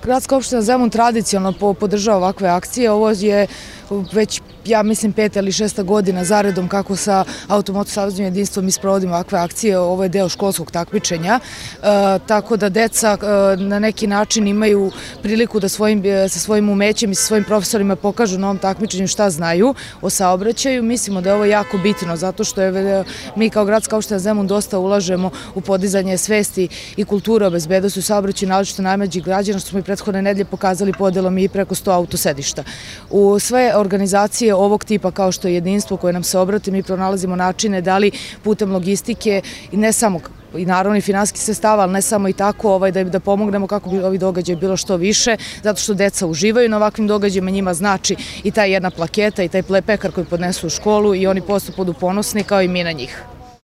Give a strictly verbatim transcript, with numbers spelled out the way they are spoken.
Gradska opština Zemun tradicionalno podržava ovakve akcije. Ovo je već, ja mislim, peta ili šesta godina zaredom kako sa Automoto saveznim jedinstvom isprovodimo ovakve akcije. Ovo je deo školskog takmičenja, tako da deca na neki način imaju priliku da sa svojim umećem i sa svojim profesorima pokažu na ovom takmičenju šta znaju o saobraćaju. Mislimo da je ovo jako bitno, zato što mi kao Gradska opština Zemun dosta ulažemo u podizanje svesti i kulture o bezbednosti u saobraćaju, naročito najmlađih građana, što smo i prethodne nedelje pokazali podelom i preko sto autosedišta. U sve organizacije ovog tipa kao što je jedinstvo koje nam se obrati, mi pronalazimo načine da li putem logistike i ne samo i naravno i finansijskih sredstava, ali ne samo i tako da pomognemo kako bi ovi događaji bilo što više, zato što deca uživaju na ovakvim događajima, njima znači i ta jedna plaketa i taj pekar koji podnesu u školu i oni posto budu ponosni kao i mi na njih.